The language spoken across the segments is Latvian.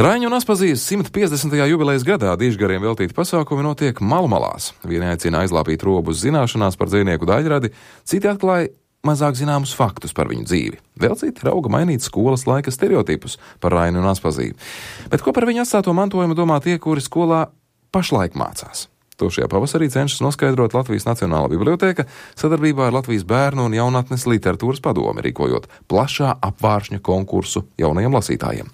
Raiņu un Aspazijas 150. jubilejas gadā dižgariem veltīti pasākumi notiek Malmalās. Vieni aicina aizlāpīt robus zināšanās par dzejnieku Daļradi, citi atklāja mazāk zināmus faktus par viņu dzīvi. Vēl citi rauga mainīt skolas laika stereotipus par Raini un Aspaziju. Bet ko par viņu atstāto mantojumu domā tie, kuri skolā pašlaik mācās? To šajā pavasarī cenšas noskaidrot Latvijas Nacionālā bibliotēka sadarbībā ar Latvijas bērnu un jaunatnes literatūras padomi, rīkojot plašā apvāršņa konkursu jaunajiem lasītājiem.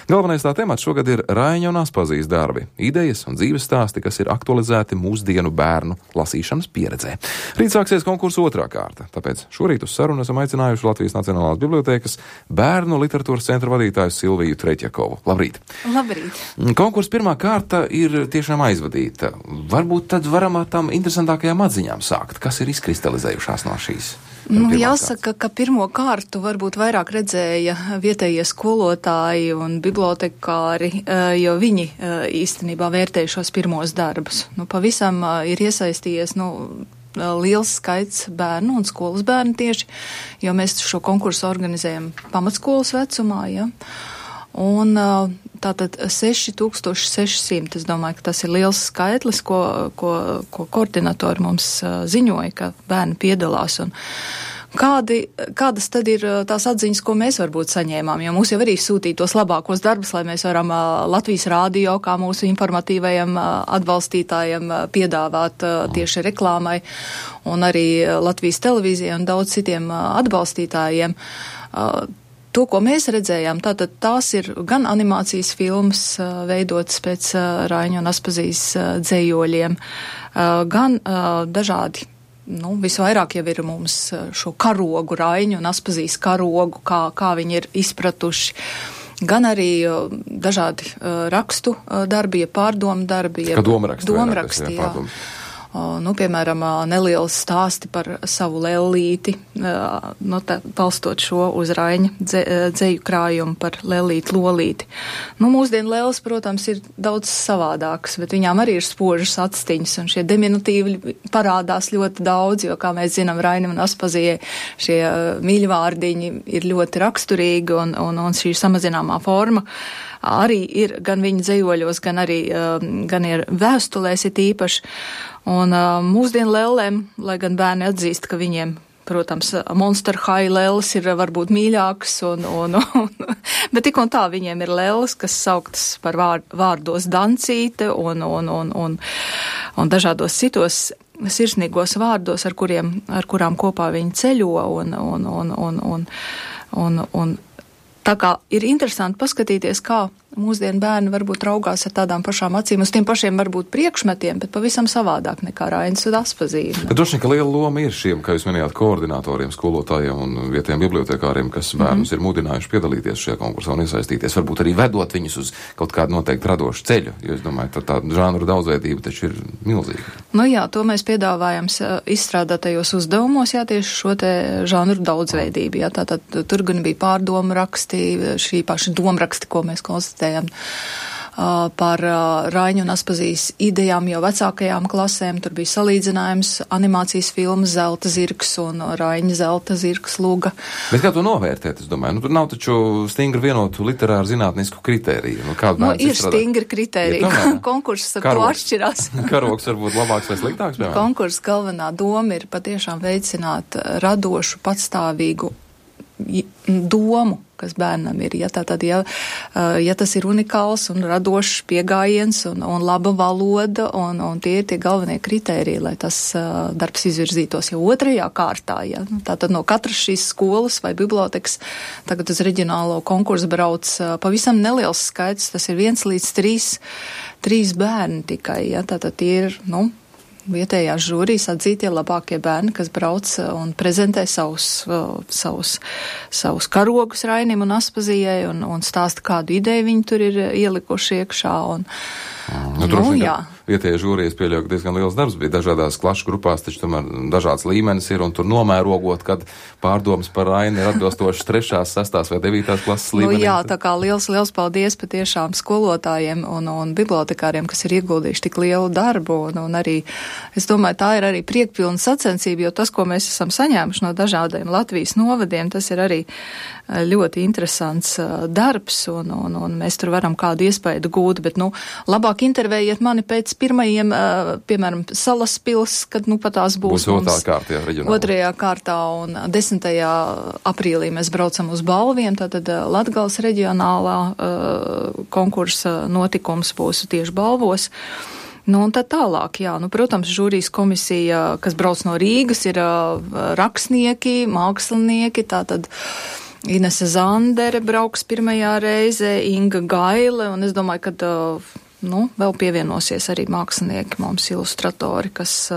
Galvenais tā temats šogad ir Raiņa un Aspazijas darbi, idejas un dzīves stāsti, kas ir aktualizēti mūsdienu bērnu lasīšanas pieredzē. Rīt sāksies konkursu otrā kārta, tāpēc šorīt uz sarunu esam aicinājuši Latvijas Nacionālās bibliotēkas bērnu literatūras centra vadītāju Silviju Treķjakovu. Labrīt! Labrīt! Konkursa pirmā kārta ir tiešām aizvadīta. Varbūt tad varam ar tām interesantākajām atziņām sākt. Kas ir izkristalizējušās no šīs? Jāsaka, ka pirmo kārtu varbūt vairāk redzēja vietējie skolotāji un bibliotekāri, jo viņi īstenībā vērtēja šos pirmos darbus. Pavisam ir iesaistījies, liels skaits bērnu un skolas bērnu tieši, jo mēs šo konkursu organizējam pamatskolas vecumā, ja. Un tātad 6600, es domāju, ka tas ir liels skaitlis, ko koordinatori mums ziņoja, ka bērni piedalās. Un kādas tad ir tās atziņas, ko mēs varbūt saņēmām, jo mūs jau arī sūtīja tos labākos darbus, lai mēs varam Latvijas rādio, kā mūsu informatīvajiem atbalstītājiem piedāvāt tieši reklāmai, un arī Latvijas televīzijai un daudz citiem atbalstītājiem. To, ko mēs redzējām, tātad tās ir gan animācijas filmas veidotas pēc Raiņa un Aspazijas dzējoļiem, gan dažādi, visvairāk jau ir mums šo karogu, Raiņu un Aspazijas karogu, kā viņi ir izpratuši, gan arī dažādi rakstu darbi, pārdomu darbi. Kā domraksti, jā. Piemēram, neliels stāsti par savu lellīti, palstot šo uz Raiņa dzeju krājumu par lellīti lolīti. Mūsdienu lelles, protams, ir daudz savādākas, bet viņām arī ir spožas atstiņas, un šie diminutīvi parādās ļoti daudz, jo, kā mēs zinām, Rainim un Aspazijai šie mīļvārdiņi ir ļoti raksturīgi, un šī samazināmā forma arī ir gan viņa dzejoļos, gan ir vēstulēs it īpaši. Un mūsdienu lellēm, lai gan bērni atzīst, ka viņiem, protams, Monster High lelles ir varbūt mīļākas, bet tik un tā viņiem ir lelles, kas sauktas par vārdos Dancīte un dažādos citos sirsnīgos vārdos, ar kurām kopā viņi ceļo un tā kā ir interesanti paskatīties, kā mūsdienu bērni varbūt raugās ar tādām pašām acīm, uz tiem pašiem varbūt priekšmetiem, bet pavisam savādāk nekā Rainis un Aspazija. Bet droši vien, ka liela loma ir šiem, kā jūs minējāt, koordinatoriem, skolotājiem un vietējiem bibliotekāriem, kas bērnus ir mudinājuši piedalīties šajā konkursā un iesaistīties, varbūt arī vedot viņus uz kaut kādu noteikti radošu ceļu, jo es domāju, tā žanru daudzveidība taču ir milzīga. Jā, to mēs piedāvājam izstrādātajos uzdevumos, tieši šo te žanru daudzveidību, tātad tur gan bija pārdomu raksti, šī paša domraksti, ko mēs konstatējam par Raiņu un Aspazijas idejām jau vecākajām klasēm. Tur bija salīdzinājums animācijas filmas Zelta zirgs un Raiņa Zelta zirgs luga. Bet kā to novērtēt, es domāju? Tur nav taču stingri vienotu literāru zinātnisku kritēriju. Ir stingri kritēriji. Konkurss ar to atšķirās. Karogs varbūt labāks vai sliktāks, piemēram? Konkurss galvenā doma ir patiešām veicināt radošu, patstāvīgu domu, kas bērnam ir. Ja tas ir unikāls un radošs pieejams un laba valoda, un tie ir tie galvenie kritēriji, lai tas darbs izvirzītos jau otrajā kārtā. Ja. Tātad no katras šīs skolas vai bibliotekas tagad uz reģionālo konkursu brauc pavisam neliels skaits, tas ir 1 līdz 3 bērni tikai. Ja. Tātad tie ir, vietējās žūrijas atzītie labākie bērni, kas brauc un prezentē savus karogus Rainim un Aspazijai un stāsta, kādu ideju viņi tur ir ielikuši iekšā. vietējie žūrijas pieļauj, ka diezgan liels darbs bija dažādās klašu grupās, taču tomēr dažāds līmenis ir, un tur nomērogot, kad pārdomas par Raini ir atbilstoši 3., 6. vai 9. klases līmenī. Jā, tā kā liels paldies patiešām skolotājiem un bibliotekāriem, kas ir ieguldījuši tik lielu darbu, un arī, es domāju, tā ir arī priekpilna sacensība, jo tas, ko mēs esam saņēmuši no dažādiem Latvijas novadiem, tas ir arī ļoti interesants darbs, un mēs tur varam kādu iespaidu gūt, bet, labāk intervējiet mani pēc pirmajiem, piemēram, Salaspils, kad, pat tās būs otrā kārta, jā, reģionālā. Otrajā kārtā, un 10. aprīlī mēs braucam uz balviem, tātad Latgales reģionālā konkursa notikums būs tieši balvos. Un tad tālāk, jā, protams, žūrijas komisija, kas brauc no Rīgas, ir rakstnieki, mākslinieki, tātad Inese Zandere brauks pirmajā reizē, Inga Gaile, un es domāju, ka vēl pievienosies arī mākslinieki, mums ilustratori, kas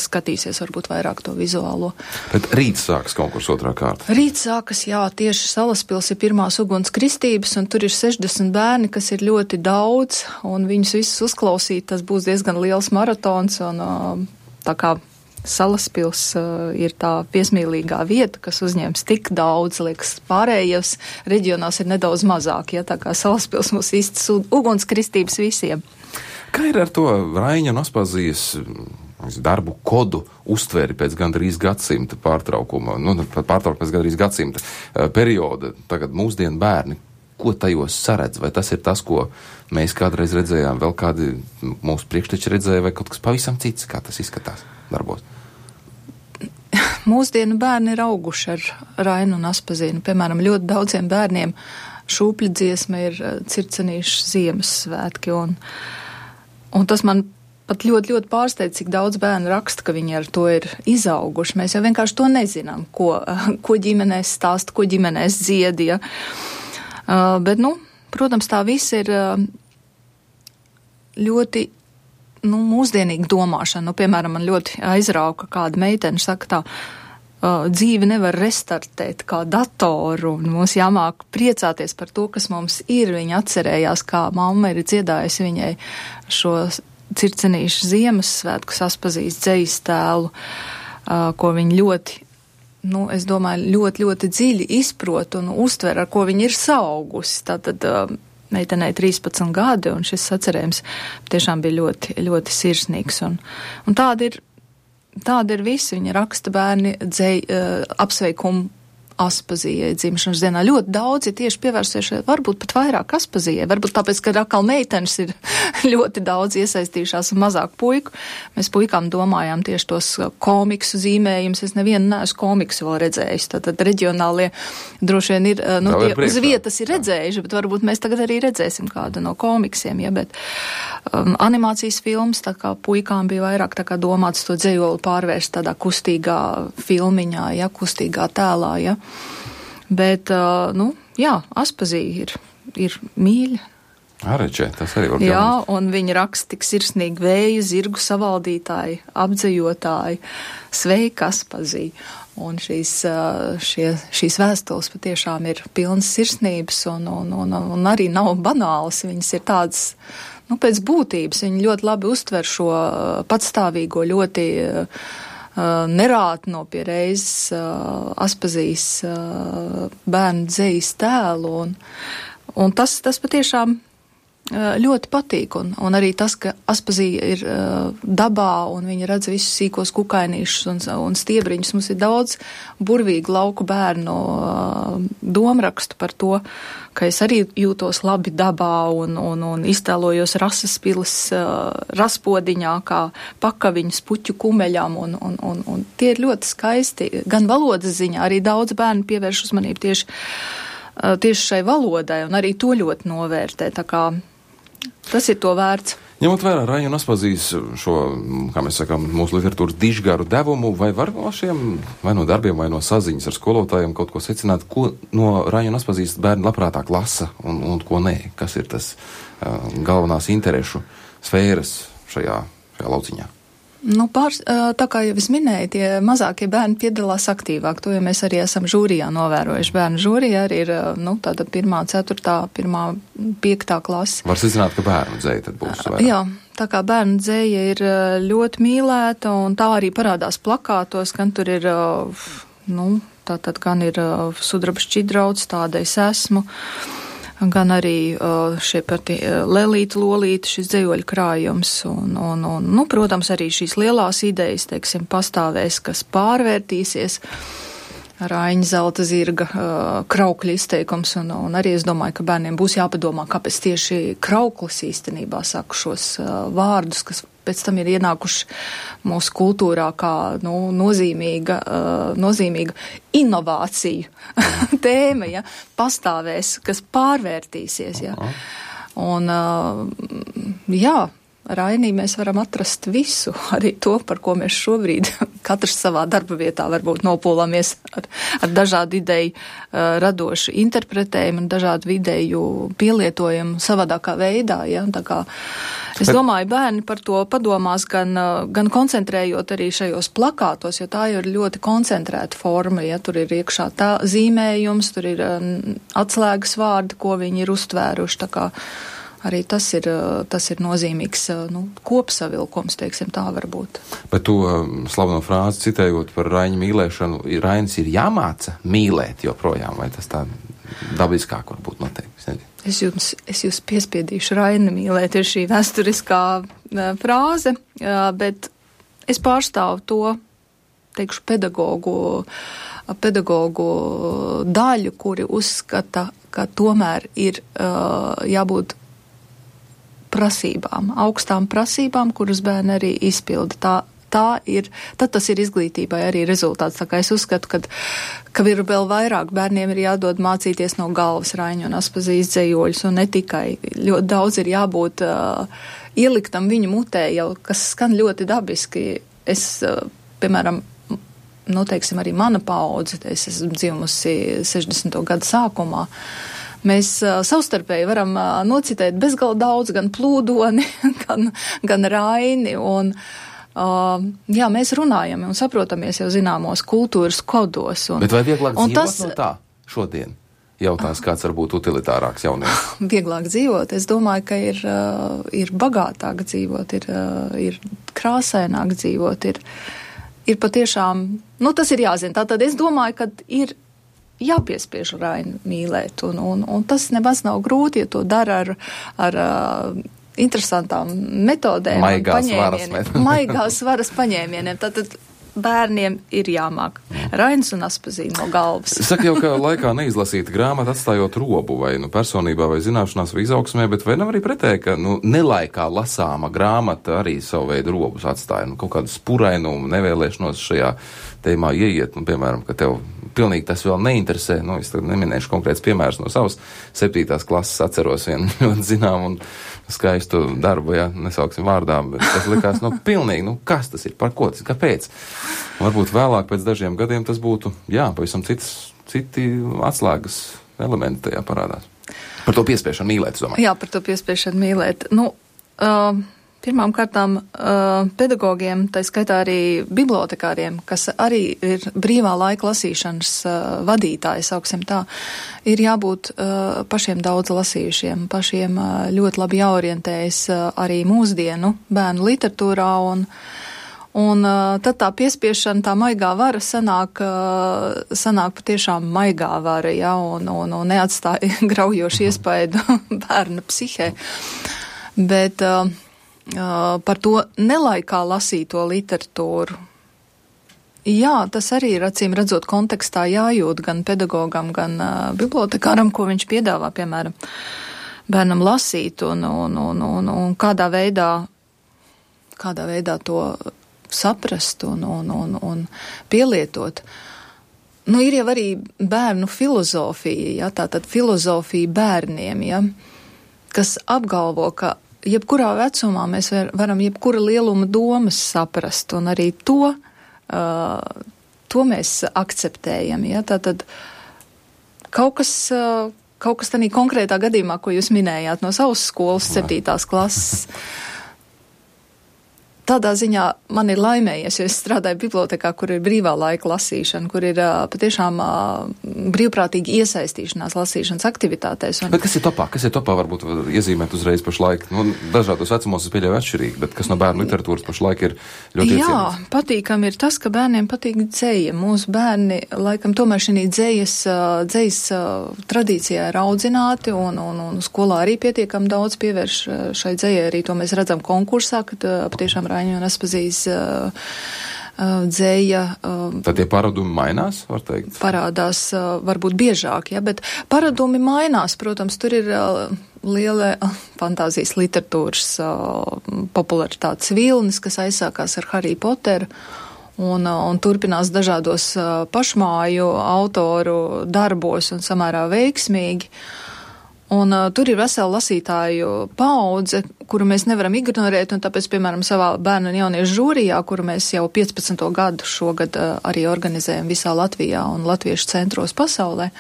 skatīsies varbūt vairāk to vizuālo. Bet rīt sākas konkurss otrā kārta. Rīt sākas, jā, tieši Salaspils ir pirmās uguns kristības, un tur ir 60 bērni, kas ir ļoti daudz, un viņus visus uzklausīt, tas būs diezgan liels maratons, un tā kā Salaspils ir tā piesmīlīgā vieta, kas uzņems tik daudz, liekas, pārējos reģionās ir nedaudz mazāk, ja tā kā Salaspils mums īstas ugunskristības visiem. Kā ir ar to Raiņa un Aspazijas darbu kodu uztveri pēc gandrīz gadsimta pārtraukuma, pēc gandrīz gadsimta perioda, tagad mūsdienu bērni, ko tajos saredz? Vai tas ir tas, ko mēs kādreiz redzējām, vēl kādi mūsu priekšteči redzēja, vai kaut kas pavisam cits, kā tas izskatās darbos? Mūsdienu bērni ir auguši ar Rainu un Aspazīnu. Piemēram, ļoti daudziem bērniem šūpļu dziesma ir Circenīšu Ziemassvētki, un tas man pat ļoti, ļoti pārsteidz, cik daudz bērnu raksta, ka viņi ar to ir izauguši. Mēs jau vienkārši to nezinām, ko ģimenēs stāst, ko ģimenēs dziedja. Bet, protams, tā viss ir ļoti mūsdienīga domāšana. Piemēram, man ļoti aizrauka kāda meitene saka tā, dzīvi nevar restartēt kā datoru, un mums jāmāk priecāties par to, kas mums ir. Viņa atcerējās, kā mamma ir dziedājusi viņai šo Circenīšu Ziemassvētkus Aspazijas dzejas tēlu, ko viņa ļoti, es domāju, ļoti, ļoti dziļi izprot un uztver, ar ko viņa ir saaugusi. Tātad meitenei 13 gadi, un šis sacerējums tiešām bija ļoti, ļoti sirsnīgs. Un tāda ir visi. Viņa raksta bērni apsveikumu Aspazijai dzimšanas dienā. Ļoti daudzi tieši pievērsušies, varbūt pat vairāk Aspazijai, varbūt tāpēc, ka atkal meitenes ir ļoti daudz iesaistījušās un mazāk puiku. Mēs puikām domājām tieši tos komiksu zīmējumus. Es nevienu neesmu komiksu vēl redzējis. Tātad reģionālie droši vien ir, tie uz vietas ir redzējuši, bet varbūt mēs tagad arī redzēsim kādu no komiksiem, ja, bet animācijas filmas, tā kā puikām bija vairāk tā kā domāts to dzejoli pārvērst tādā kustīgā filmiņā, ja, kustīgā tēlā, ja. Bet, Aspazija ir mīļa. Ārečē, tas arī var būt. Jā, un viņi raksta tik sirsnīgi vēju, zirgu savaldītāji, apdzejotāji, sveika Aspazija. Un šīs vēstules patiešām ir pilnas sirsnības un arī nav banālas. Viņas ir tādas, pēc būtības. Viņi ļoti labi uztver šo patstāvīgo, ļoti nerātno pie reizes Aspazijas bērnu dzejas tēlu, un tas patiešām ļoti patīk, un arī tas, ka Aspazija ir dabā, un viņi redz visus sīkos kukainīšus un stiebriņus. Mums ir daudz burvīgu lauku bērnu domrakstu par to, ka es arī jūtos labi dabā un iztēlojos Rasaspilis raspodiņā, kā pakaviņas puķu kumeļām, un tie ir ļoti skaisti. Gan valodas ziņā, arī daudz bērnu pievērš uzmanību tieši šai valodai, un arī to ļoti novērtē, tā kā tas ir to vērts. Ņemot vērā Raņa un Aspazijas šo, kā mēs sakām, mūsu literatūras dižgaru devumu, vai var no šiem, vai no darbiem, vai no saziņas ar skolotājiem kaut ko secināt, ko no Raņa un Aspazijas bērni labprātāk lasa un ko nē? Kas ir tas galvenās interešu sfēras šajā lauciņā? Tā kā jau es minēju, tie mazākie bērni piedalās aktīvāk. To jau mēs arī esam žūrijā novērojuši. Bērnu žūrijā arī ir, tāda 1., 4., 1., 5. klase. Var secināt, ka bērnu dzeja tad būs vairāk. Jā, tā kā bērnu dzēja ir ļoti mīlēta, un tā arī parādās plakātos, gan tur ir, tātad gan ir sudraba šķidrauts, tāda es esmu, gan arī šie pati lelīti, lolīti, šis dzējoļu krājums, un, protams, arī šīs lielās idejas, teiksim, pastāvēs, kas pārvērtīsies. Raiņa zelta zirga kraukļa izteikums, un arī es domāju, ka bērniem būs jāpadomā, kāpēc tieši krauklis īstenībā saka šos vārdus, kas pēc tam ir ienākuši mūsu kultūrā kā nozīmīga inovāciju tēma, ja, pastāvēs, kas pārvērtīsies. Ja. Un, Rainī mēs varam atrast visu, arī to, par ko mēs šobrīd katrs savā darba vietā varbūt nopūlamies ar dažādu ideju radošu interpretējumu un dažādu ideju pielietojumu savādākā veidā. Ja? Tā kā es domāju, bērni par to padomās gan koncentrējot arī šajos plakātos, jo tā jau ir ļoti koncentrēta forma, ja tur ir iekšā tā zīmējums, tur ir atslēgas vārdi, ko viņi ir uztvēruši, tā kā arī tas ir nozīmīgs kopsavilkums, teiksim, tā varbūt. Bet to slaveno frāzi citējot par Raiņa mīlēšanu, Rainis ir jāmāca mīlēt joprojām, vai tas tā dabiskāk varbūt noteikti? Es jūs piespiedīšu Raini mīlēt, ir šī vēsturiskā frāze, bet es pārstāvu to, teikšu, pedagogu daļu, kuri uzskata, ka tomēr ir jābūt prasībām, augstām prasībām, kuras bērni arī izpilda. Tad tas ir izglītībai arī rezultāts. Tā kā es uzskatu, ka ir vēl vairāk bērniem ir jādod mācīties no galvas Raiņu un Aspazijas dzējoļus, un ne tikai. Ļoti daudz ir jābūt ieliktam viņu mutē, jau kas skan ļoti dabiski. Es, piemēram, teiksim, arī mana paudze, es esmu dzimusi 60. gadu sākumā, mēs savstarpēji varam nocitēt bezgalā daudz, gan Plūdoni, gan Raini, un mēs runājam un saprotamies jau zināmos kultūras kodos. Bet vai vieglāk dzīvot no tā šodien? Jautājums, kāds var būt utilitārāks jaunieks? Vieglāk dzīvot, es domāju, ka ir bagātāk dzīvot, ir krāsaināk dzīvot, ir patiešām, tas ir jāzina. Tātad es domāju, ka ir jāpiespiež Raini mīlēt, un tas nemaz nav grūti, ja to dara ar interesantām metodēm. Maigās varas paņēmieniem. Tātad bērniem ir jāmāk Rainis un Aspazija no galvas. Saka jau, ka laikā neizlasīta grāmata atstājot robu vai personībā vai zināšanās vai izaugsmē, bet vai nav arī pretēji, ka nelaikā lasāma grāmata arī savu veidu robus atstāja, kaut kādu spurainumu, nevēlēšanos šajā tēmā ieiet, piemēram, ka tev pilnīgi tas vēl neinteresē, es tad neminēšu konkrēts piemērs no savas 7. klases, atceros vienu ļoti zinām un skaistu darbu, nesauksim vārdā, bet tas likās, pilnīgi, kas tas ir, par ko tas, kāpēc? Varbūt vēlāk pēc dažiem gadiem tas būtu, pavisam citi atslēgas elementi tajā parādās. Par to piespiešanu mīlēt, es domāju. Jā, par to piespiešanu mīlēt. Pirmām kārtām pedagogiem, tā skaitā arī bibliotekāriem, kas arī ir brīvā laika lasīšanas vadītāji, sauksim tā, ir jābūt pašiem daudz lasījušiem, pašiem ļoti labi jāorientējas arī mūsdienu bērnu literatūrā, un tad tā piespiešana, tā maigā vara sanāk patiešām maigā vara, un neatstāja graujošu iespaidu bērna psihē. Bet par to nelaikā lasīto literatūru. Tas arī ir acīm redzot kontekstā jājūt gan pedagogam, gan bibliotekāram, ko viņš piedāvā, piemēram, bērnam lasīt un kādā veidā to saprast un pielietot. Ir jau arī bērnu filozofija, tātad filozofija bērniem, kas apgalvo, ka jebkurā vecumā mēs varam jebkura lieluma domas saprast, un arī to mēs akceptējam. Tātad kaut kas tādā konkrētā gadījumā, ko jūs minējāt no savas skolas 7. klases, tādā ziņā man ir laimējies, jo es strādāju bibliotekā, kur ir brīvā laika lasīšana, kur ir patiešām brīvprātīgi iesaistīšanās lasīšanas aktivitātēs. Bet kas ir topā? Kas ir topā varbūt iezīmēt uzreiz pašlaik? Nu, dažādos vecumos es pieļauju atšķirīgi, bet kas no bērnu literatūras pašlaik ir ļoti iecienīts? Jā, patīkam ir tas, ka bērniem patīk dzeja. Mūsu bērni, laikam, tomēr šī dzejas tradīcijā ir audzināti un skolā arī pietiekam daudz pievērš šai dzejai. Arī to mēs redzam konkursā, kad patiešām Raņa un Aspazijas dzeja. Tad tie paradumi mainās, var teikt? Parādās varbūt biežāk, ja, bet paradumi mainās. Protams, tur ir liela fantāzijas literatūras popularitātes vilnis, kas aizsākās ar Harry Potteru. Un turpinās dažādos pašmāju autoru darbos un samērā veiksmīgi. Un tur ir vesela lasītāju paudze, kuru mēs nevaram ignorēt, un tāpēc, piemēram, savā bērnu un jauniešu žūrijā, kuru mēs jau 15. gadu šogad arī organizējam visā Latvijā un latviešu centros pasaulē,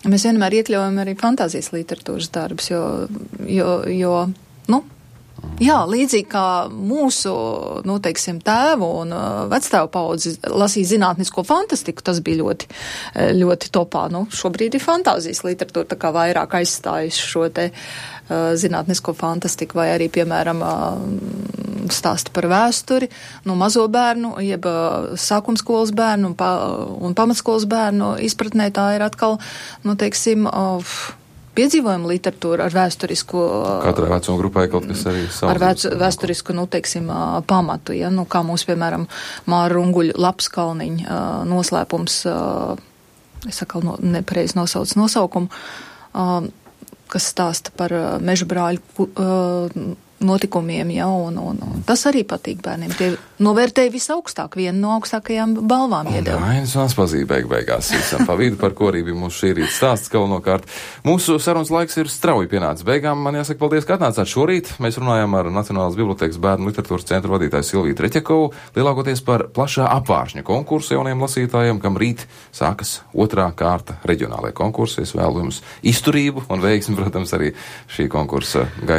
mēs vienmēr iekļaujam arī fantāzijas literatūras darbus, jo jā, līdzīgi kā mūsu, teiksim, tēvu un vectēvu paudzi lasīja zinātnisko fantastiku, tas bija ļoti, ļoti topā. Šobrīd ir fantāzijas literatūra, tā kā vairāk aizstājusi šo te zinātnisko fantastiku, vai arī, piemēram, stāsti par vēsturi, mazo bērnu, jeb sākumskolas bērnu un pamatskolas bērnu izpratnē tā ir atkal, teiksim, piedzīvojuma literatūra ar vēsturisku... Katrai vecuma grupai kaut kas arī savs. Ar vēsturisku, teiksim, pamatu, ja, kā mūsu, piemēram, Māra Runguļa Lapskalniņa noslēpums, es atkal nepareizi nosaucu nosaukumu, kas stāsta par meža brāļu notikumiem, ja, un tas arī patīk bērniem. Tie novērtēja visaugstāk, vienu no augstākajām balvām iedeva. Rainis un Aspazija beigās visam pa vidu, par ko arī bija mūsu šī rīta stāsts galvenokārt. Mūsu sarunas laiks ir strauji pienācis beigām. Man jāsaka paldies, ka atnācāt šorīt. Mēs runājām ar Nacionālās bibliotēkas bērnu literatūras centra vadītāju Silviju Treķakovu, lielākoties par plašā apvāršņa konkursu jauniem lasītājiem, kam rīt sākas 2. kārta reģionālajā konkursi. Es vēlu jums izturību un veiksmi, protams, arī šī konkursa gaitā.